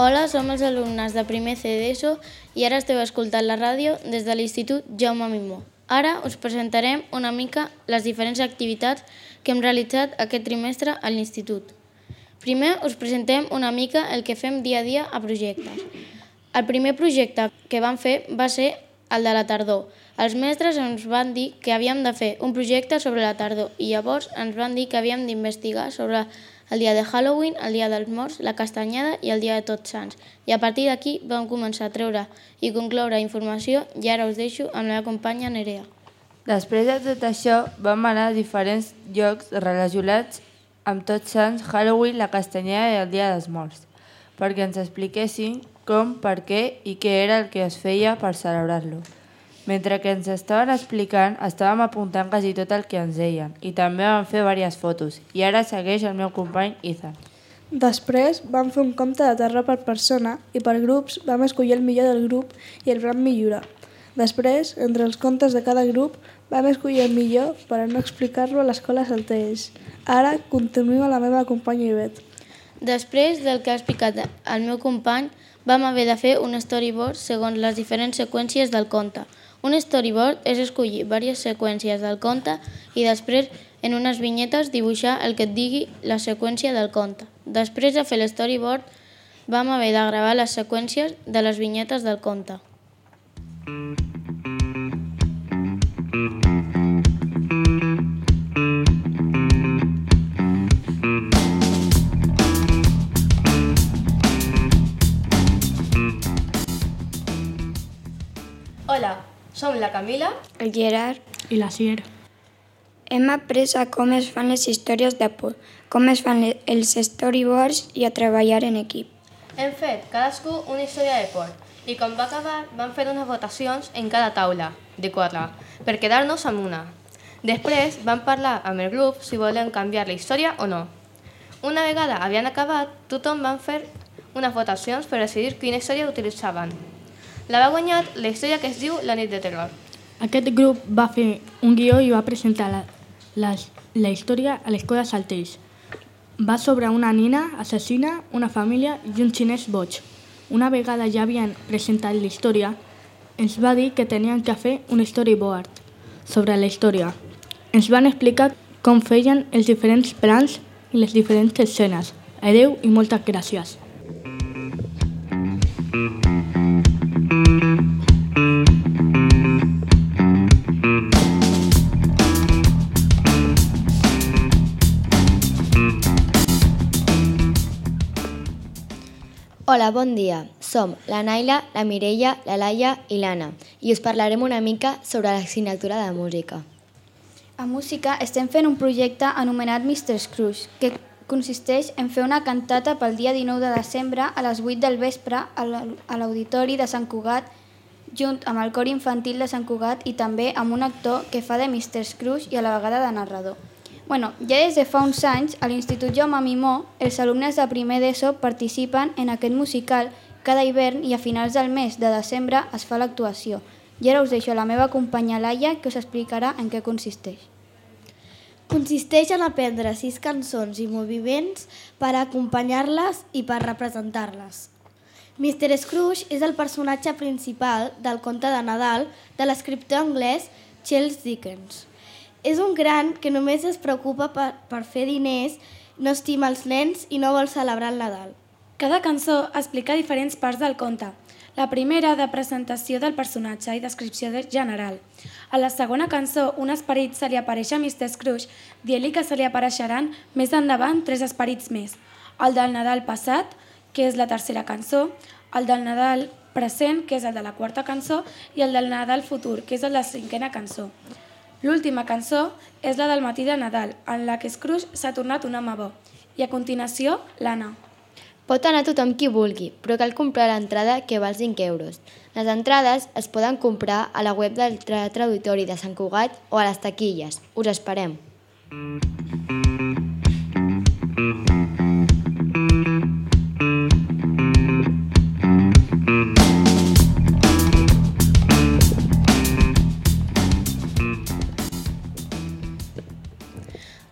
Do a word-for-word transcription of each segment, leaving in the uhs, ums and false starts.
Hola, som els alumnes de primer C d'ESO i ara esteu escoltant la ràdio des de l'Institut Jaume Mimó. Ara us presentarem una mica les diferents activitats que hem realitzat aquest trimestre a l'Institut. Primer us presentem una mica el que fem dia a dia a projectes. El primer projecte que vam fer va ser el de la tardor. Els mestres ens van dir que havíem de fer un projecte sobre la tardor i llavors ens van dir que havíem d'investigar sobre el dia de Halloween, el dia dels morts, la castanyada i el dia de Tots Sants. I a partir d'aquí vam començar a treure i concloure informació i ara us deixo amb la meva companya Nerea. Després de tot això vam anar a diferents llocs relacionats amb Tots Sants, Halloween, la castanyada i el dia dels morts, perquè ens expliquessin com, per què i què era el que es feia per celebrar-lo. Mentre que ens estaven explicant, estàvem apuntant quasi tot el que ens deien i també vam fer diverses fotos. I ara segueix el meu company Ethan. Després vam fer un compte de terra per persona i per grups vam escollir el millor del grup i el vam millorar. Després, entre els comptes de cada grup, vam escollir el millor per a no explicar-lo a l'escola Saltells. Ara continuo a la meva companya Ivet. Després del que ha explicat el meu company, vam haver de fer un storyboard segons les diferents seqüències del conte. Un storyboard és escollir diverses seqüències del conte i després, en unes vinyetes, dibuixar el que et digui la seqüència del conte. Després de fer l'storyboard, vam haver de gravar les seqüències de les vinyetes del conte. Hola, som la Camila, el Gerard i la Sier. Hem après a com es fan les històries de por, com es fan els storyboards i a treballar en equip. Hem fet cadascú una història de por i quan va acabar vam fer unes votacions en cada taula, de quatre, per quedar-nos amb una. Després vam parlar amb el grup si volem canviar la història o no. Una vegada havien acabat, tothom van fer unes votacions per decidir quina història utilitzaven. La va guanyar la història que es diu La nit de terror. Aquest grup va fer un guió i va presentar la, la, la història a l'escola Saltells. Va sobre una nina assassina, una família i un xinès boig. Una vegada ja havien presentat la història, ens va dir que tenien que fer un storyboard sobre la història. Ens van explicar com feien els diferents plans i les diferents escenes. Adeu i moltes gràcies. Hola, bon dia. Som la Naila, la Mireia, la Laia i l'Anna i us parlarem una mica sobre l'assignatura de música. A música estem fent un projecte anomenat mister Scrooge, que consisteix en fer una cantata pel dia dinou de desembre a les vuit del vespre a l'Auditori de Sant Cugat, junt amb el cor infantil de Sant Cugat i també amb un actor que fa de mister Scrooge i a la vegada de narrador. Bueno, ja des de fa uns anys, a l'Institut Jaume Mimó, els alumnes de primer d'ESO participen en aquest musical cada hivern i a finals del mes de desembre es fa l'actuació. I ara us deixo a la meva companya Laia, que us explicarà en què consisteix. Consisteix en aprendre sis cançons i moviments per acompanyar-les i per representar-les. mister Scrooge és el personatge principal del conte de Nadal de l'escriptor anglès Charles Dickens. És un gran que només es preocupa per, per fer diners, no estima els nens i no vol celebrar el Nadal. Cada cançó explica diferents parts del conte. La primera de presentació del personatge i descripció general. A la segona cançó, un esperit se li apareix a mister Scrooge dient-li que se li apareixeran més endavant tres esperits més. El del Nadal passat, que és la tercera cançó, el del Nadal present, que és el de la quarta cançó, i el del Nadal futur, que és el de la cinquena cançó. L'última cançó és la del matí de Nadal, en la que Scrooge s'ha tornat un home bo. I a continuació, l'Anna. Pot anar tothom qui vulgui, però cal comprar l'entrada que val cinc euros. Les entrades es poden comprar a la web del Teatre Auditori de Sant Cugat o a les taquilles. Us esperem.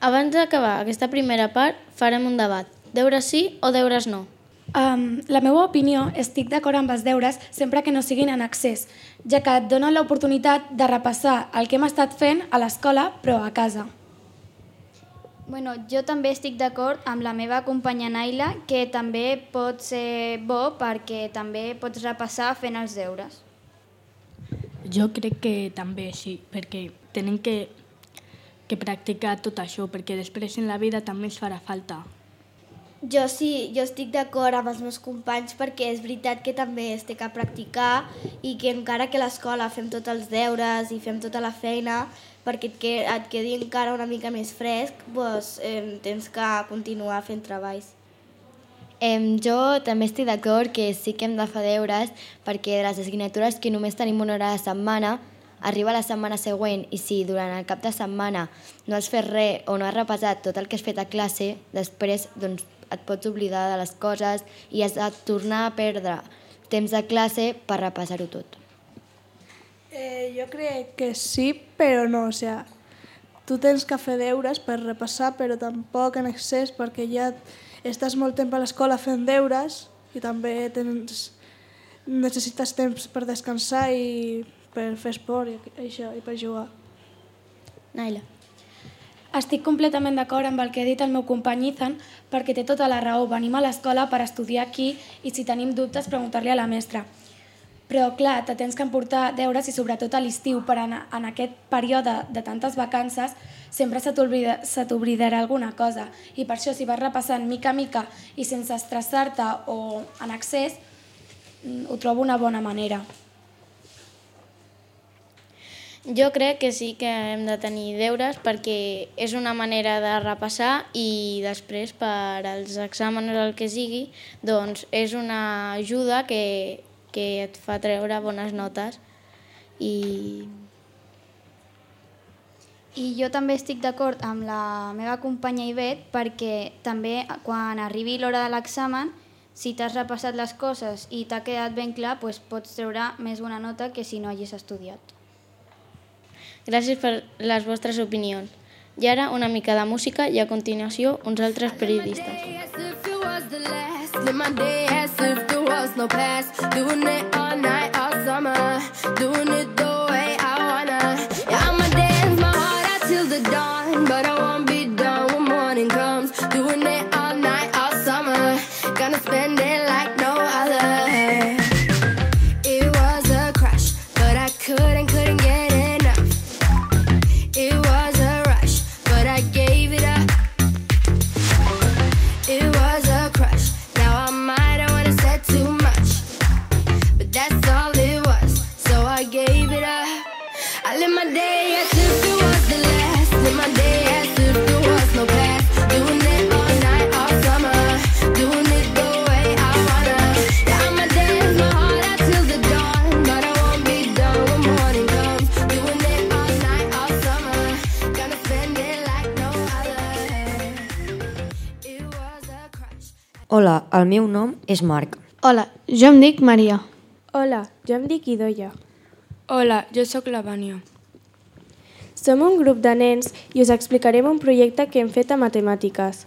Abans d'acabar aquesta primera part, farem un debat. Deures sí o deures no? Um, la meva opinió, estic d'acord amb els deures sempre que no siguin en excés, ja que et donen l'oportunitat de repassar el que hem estat fent a l'escola, però a casa. Bueno, jo també estic d'acord amb la meva companya Naila, que també pot ser bo perquè també pots repassar fent els deures. Jo crec que també sí, perquè tenen que, que practicar tot això, perquè després en la vida també ens farà falta. Jo sí, jo estic d'acord amb els meus companys perquè és veritat que també es té que practicar i que encara que a l'escola fem tots els deures i fem tota la feina, perquè et, que, et quedi encara una mica més fresc, doncs, eh, tens que continuar fent treballs. Eh, jo també estic d'acord que sí que hem de fer deures perquè de les assignatures que només tenim una hora a la setmana, arriba la setmana següent i si durant el cap de setmana no has fet res o no has repassat tot el que has fet a classe, després doncs, et pots oblidar de les coses i has de tornar a perdre temps de classe per repassar-ho tot. Eh, jo crec que sí, però no. O sea, tu tens que fer deures per repassar, però tampoc en excés, perquè ja estàs molt temps a l'escola fent deures i també tens, necessites temps per descansar i per fer esport i, això, i per jugar. Naila. Estic completament d'acord amb el que ha dit el meu company Ethan, perquè té tota la raó. Venim a l'escola per estudiar aquí i si tenim dubtes preguntar-li a la mestra. Però clar, te tens que emportar deures i sobretot a l'estiu, per en, en aquest període de tantes vacances sempre se t'oblidarà alguna cosa. I per això si vas repassant mica a mica i sense estressar-te o en excés, ho trobo una bona manera. Jo crec que sí que hem de tenir deures perquè és una manera de repassar i després per als exàmens o el que sigui, doncs és una ajuda que, que et fa treure bones notes. I... I jo també estic d'acord amb la meva companya Ivet perquè també quan arribi l'hora de l'examen, si t'has repassat les coses i t'ha quedat ben clar, doncs pots treure més bona nota que si no hagis estudiat. Gràcies per les vostres opinions. I ara una mica de música i a continuació uns altres periodistes. Hola, el meu nom és Marc. Hola, jo em dic Maria. Hola, jo em dic Idoia. Hola, jo sóc la Vània. Som un grup de nens i us explicarem un projecte que hem fet a matemàtiques.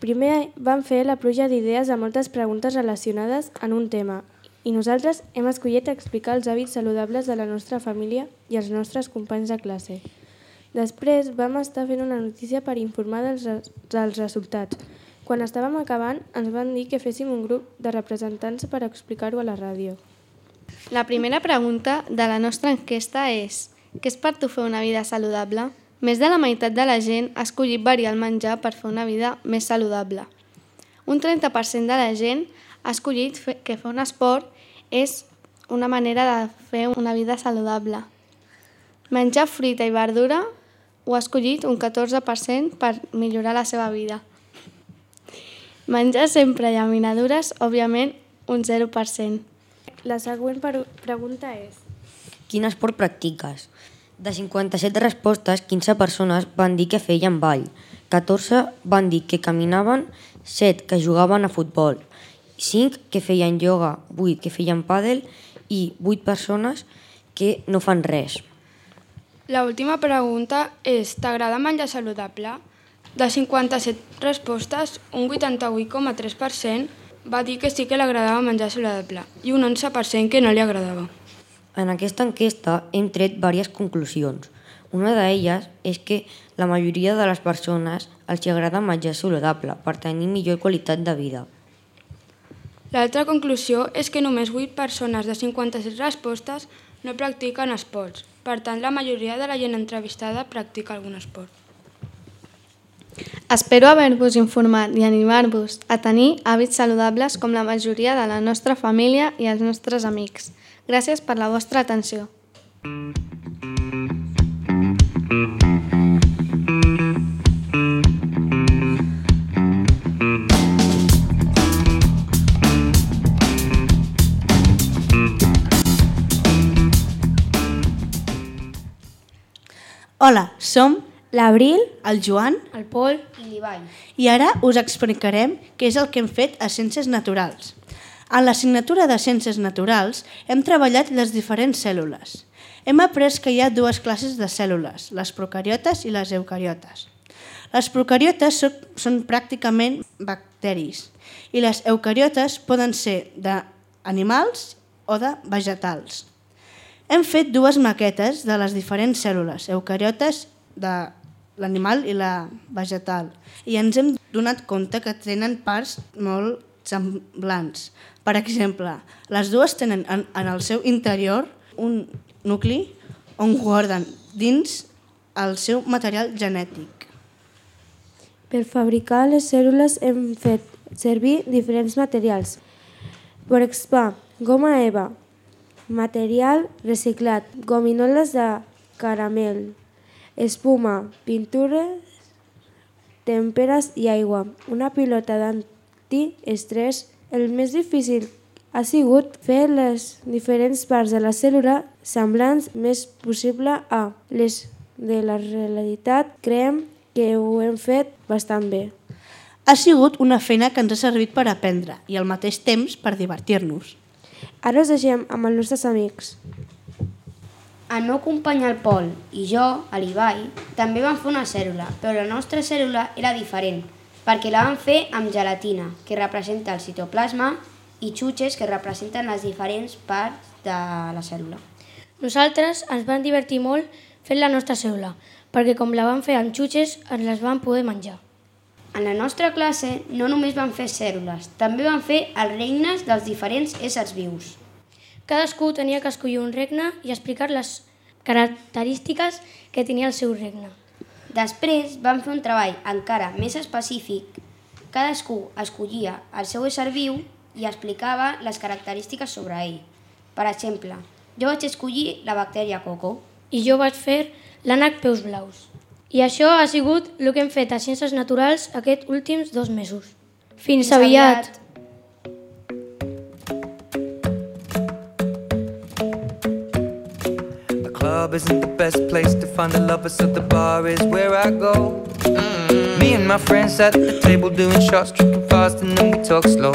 Primer vam fer la pluja d'idees a moltes preguntes relacionades en un tema i nosaltres hem escollit explicar els hàbits saludables de la nostra família i els nostres companys de classe. Després vam estar fent una notícia per informar dels, dels resultats. Quan estàvem acabant, ens van dir que féssim un grup de representants per explicar-ho a la ràdio. La primera pregunta de la nostra enquesta és: què és per tu fer una vida saludable? Més de la meitat de la gent ha escollit variar el menjar per fer una vida més saludable. Un trenta per cent de la gent ha escollit que fer un esport és una manera de fer una vida saludable. Menjar fruita i verdura ho ha escollit un catorze per cent per millorar la seva vida. Menjar sempre llaminadures, òbviament, un zero per cent. La següent pregunta és: quin esport practiques? De cinquanta-set respostes, quinze persones van dir que feien ball, catorze van dir que caminaven, set que jugaven a futbol, cinc que feien ioga, vuit que feien pàdel i vuit persones que no fan res. La última pregunta és: t'agrada menjar saludable? De cinquanta-set respostes, un vuitanta-vuit coma tres per cent va dir que sí que li agradava menjar saludable i un onze per cent que no li agradava. En aquesta enquesta hem tret diverses conclusions. Una d'elles és que la majoria de les persones els agrada menjar saludable per tenir millor qualitat de vida. L'altra conclusió és que només vuit persones de cinquanta-set respostes no practiquen esports. Per tant, la majoria de la gent entrevistada practica algun esport. Espero haver-vos informat i animar-vos a tenir hàbits saludables com la majoria de la nostra família i els nostres amics. Gràcies per la vostra atenció. Hola, som l'Abril, el Joan, el Pol i l'Ibai. I ara us explicarem què és el que hem fet a Ciències Naturals. En l'assignatura de Ciències Naturals hem treballat les diferents cèl·lules. Hem après que hi ha dues classes de cèl·lules, les procariotes i les eucariotes. Les procariotes són pràcticament bacteris i les eucariotes poden ser d'animals o de vegetals. Hem fet dues maquetes de les diferents cèl·lules eucariotes de l'animal i la vegetal i ens hem donat compte que tenen parts molt semblants. Per exemple, les dues tenen en, en el seu interior un nucli on guarden dins el seu material genètic. Per fabricar les cèl·lules hem fet servir diferents materials. Per exemple, goma eva, material reciclat, gominoles de caramel, espuma, pintures, tèmperes i aigua, una pilota d'antiestrès. El més difícil ha sigut fer les diferents parts de la cèl·lula semblants més possible a les de la realitat. Creiem que ho hem fet bastant bé. Ha sigut una feina que ens ha servit per aprendre i al mateix temps per divertir-nos. Ara us deixem amb els nostres amics. El meu company el Pol i jo, l'Ibai, també vam fer una cèl·lula, però la nostra cèl·lula era diferent, perquè la vam fer amb gelatina, que representa el citoplasma, i xutxes, que representen les diferents parts de la cèl·lula. Nosaltres ens vam divertir molt fent la nostra cèl·lula, perquè com la vam fer amb xutxes, ens les vam poder menjar. En la nostra classe no només vam fer cèl·lules, també vam fer els regnes dels diferents éssers vius. Cadascú tenia que escollir un regne i explicar les característiques que tenia el seu regne. Després vam fer un treball encara més específic. Cadascú escollia el seu ésser viu i explicava les característiques sobre ell. Per exemple, jo vaig escollir la bactèria coco. I jo vaig fer l'ànec peus blaus. I això ha sigut el que hem fet a Ciències Naturals aquests últims dos mesos. Fins, Fins aviat! aviat. The club isn't the best place to find the lovers, so the bar is where I go. Mm-hmm. Me and my friends at the table doing shots, tripping fast, and then we talk slow.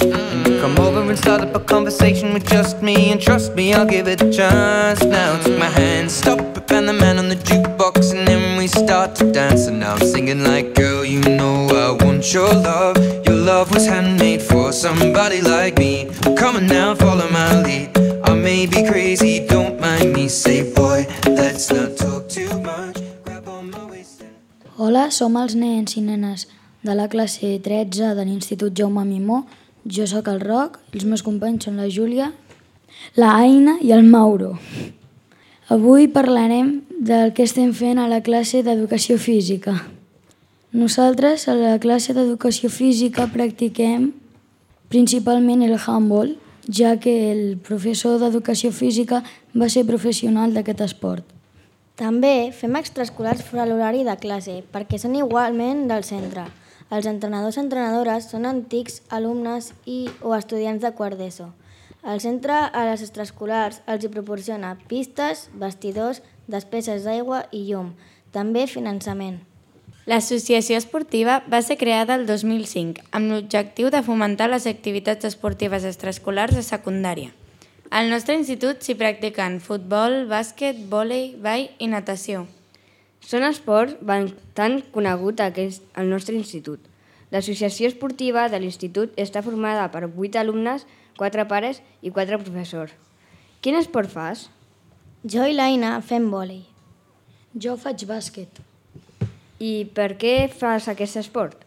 And you come over and start up a conversation with just me, and trust me, I'll give it a chance. Now take my hand, stop it, and the man on the jukebox, and then we start to dance. And now I'm singing like, girl, you know I want your love. Your love was handmade for somebody like me. Come on now, follow my lead. I may be crazy, don't mind me. Say, boy, let's not talk too much. Grab on my waist. Hola, som els nens i nenes de la classe tretze de l'Institut Jaume Mimó. Jo sóc el Roc, els meus companys són la Júlia, la Aina i el Mauro. Avui parlarem del que estem fent a la classe d'Educació Física. Nosaltres a la classe d'Educació Física practiquem principalment el handball, ja que el professor d'Educació Física va ser professional d'aquest esport. També fem extraescolars fora l'horari de classe, perquè són igualment del centre. Els entrenadors i entrenadores són antics alumnes i o estudiants de quart d'ESO. El centre a les extraescolars els hi proporciona pistes, vestidors, despeses d'aigua i llum, també finançament. L'associació esportiva va ser creada el dos mil cinc amb l'objectiu de fomentar les activitats esportives extraescolars de secundària. Al nostre institut s'hi practiquen futbol, bàsquet, vòlei, ball i natació. Són esports tan coneguts al nostre institut. L'associació esportiva de l'institut està formada per vuit alumnes, quatre pares i quatre professors. Quin esport fas? Jo i l'Aina fem vòlei. Jo faig bàsquet. I per què fas aquest esport?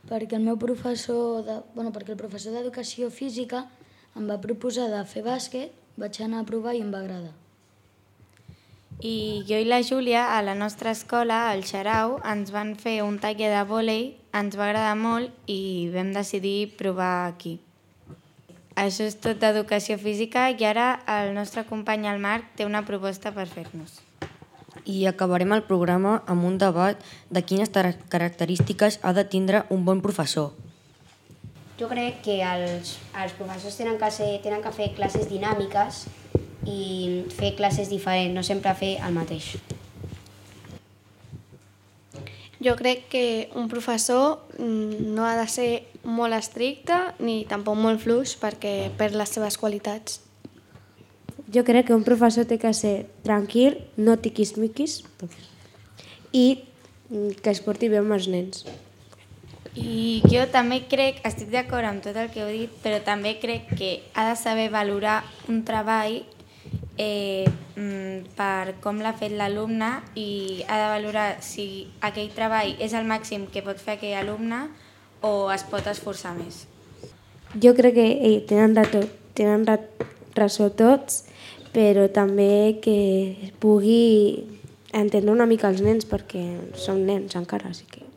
Perquè el meu professor, de, bueno, perquè el professor d'educació física em va proposar de fer bàsquet, vaig anar a provar i em va agradar. I jo i la Júlia, a la nostra escola, al Xarau, ens van fer un taller de vòlei, ens va agradar molt i vam decidir provar aquí. Això és tot d'educació física i ara el nostre company, el Marc, té una proposta per fer-nos. I acabarem el programa amb un debat de quines característiques ha de tindre un bon professor. Jo crec que els, els professors tenen que, ser, tenen que fer classes dinàmiques i fer classes diferents, no sempre fer el mateix. Jo crec que un professor no ha de ser molt estricte ni tampoc molt fluix perquè perd les seves qualitats. Jo crec que un professor té que ser tranquil, no tiquis-miquis i que es porti bé amb els nens. I jo també crec, estic d'acord amb tot el que heu dit, però també crec que ha de saber valorar un treball eh, per com l'ha fet l'alumne i ha de valorar si aquell treball és el màxim que pot fer aquell alumne o es pot esforçar més. Jo crec que eh, tenen, rato, tenen raó tots, però també que pugui entendre una mica els nens perquè són nens encara, així que...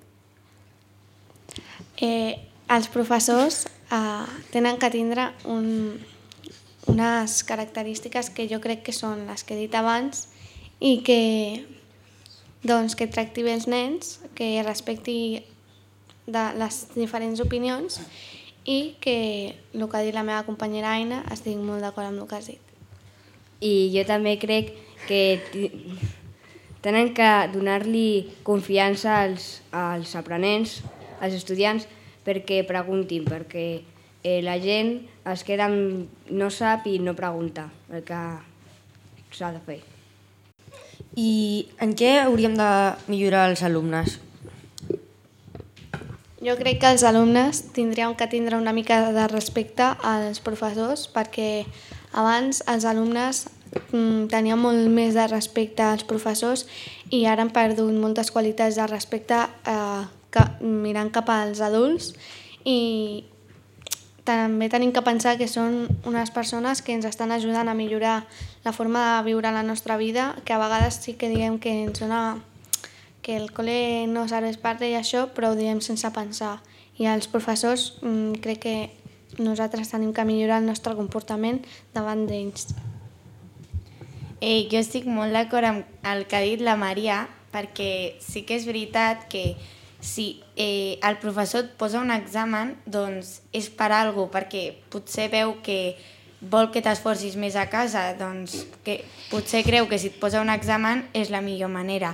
Eh, els professors eh, tenen que tindre un, unes característiques que jo crec que són les que he dit abans i que, doncs, que tracti bé els nens, que respecti de les diferents opinions i que, el que ha dit la meva companyera Aina, estic molt d'acord amb el que has dit. I jo també crec que tenen que donar-li confiança als, als aprenents, als estudiants, perquè preguntin, perquè eh, la gent es queda amb no sap i no pregunta el que s'ha de fer. I en què hauríem de millorar els alumnes? Jo crec que els alumnes tindríem que tindre una mica de respecte als professors perquè abans els alumnes mm, tenien molt més de respecte als professors i ara han perdut moltes qualitats de respecte eh, que, mirant cap als adults i també tenim que pensar que són unes persones que ens estan ajudant a millorar la forma de viure la nostra vida, que a vegades sí que diem que ens dona que el col·le no serveix per res i això, però ho diem sense pensar. I els professors mmm, crec que nosaltres tenim que millorar el nostre comportament davant d'ells. Eh, jo estic molt d'acord amb el que ha dit la Maria, perquè sí que és veritat que si eh, el professor et posa un examen, doncs és per alguna cosa, perquè potser veu que vol que t'esforcis més a casa, doncs que potser creu que si et posa un examen és la millor manera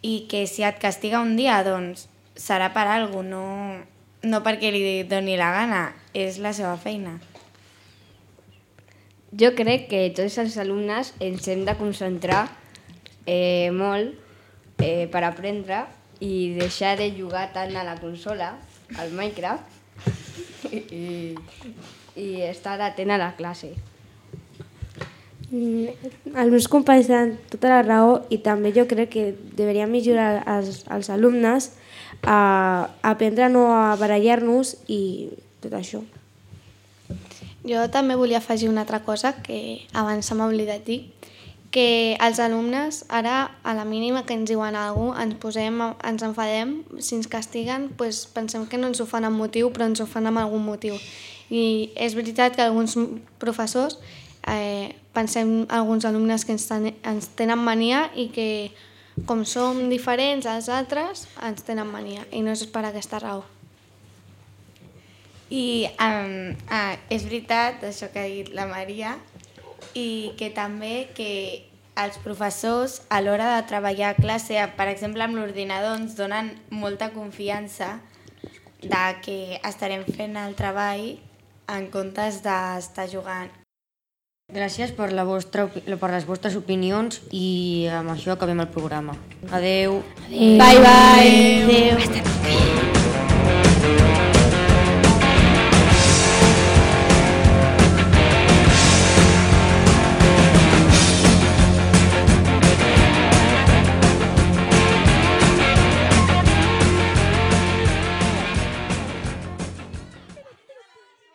i que si et castiga un dia, doncs serà per alguna cosa, no, no perquè li doni la gana, és la seva feina. Jo crec que tots els alumnes ens hem de concentrar eh, molt eh, per aprendre i deixar de jugar tant a la consola, al Minecraft, i, i estar atent a la classe. Els meus companys tenen tota la raó i també jo crec que deberíem millorar els, els alumnes a, a aprendre a no a barallar-nos i tot això. Jo també volia afegir una altra cosa que abans se m'ha oblidat dir, que els alumnes ara a la mínima que ens diuen alguna cosa ens, posem, ens enfadem, si ens castiguen doncs pensem que no ens ho fan amb motiu però ens ho fan amb algun motiu. I és veritat que alguns professors eh, pensem alguns alumnes que ens, ten, ens tenen mania i que com som diferents als altres ens tenen mania i no és per aquesta raó. I um, ah, és veritat això que ha dit la Maria i que també que els professors a l'hora de treballar a classe, per exemple amb l'ordinador, ens donen molta confiança de que estarem fent el treball en comptes d'estar jugant. Gràcies per, la vostra, per les vostres opinions i amb això acabem el programa. Adeu. Adeu. Bye bye. Adeu. Adeu.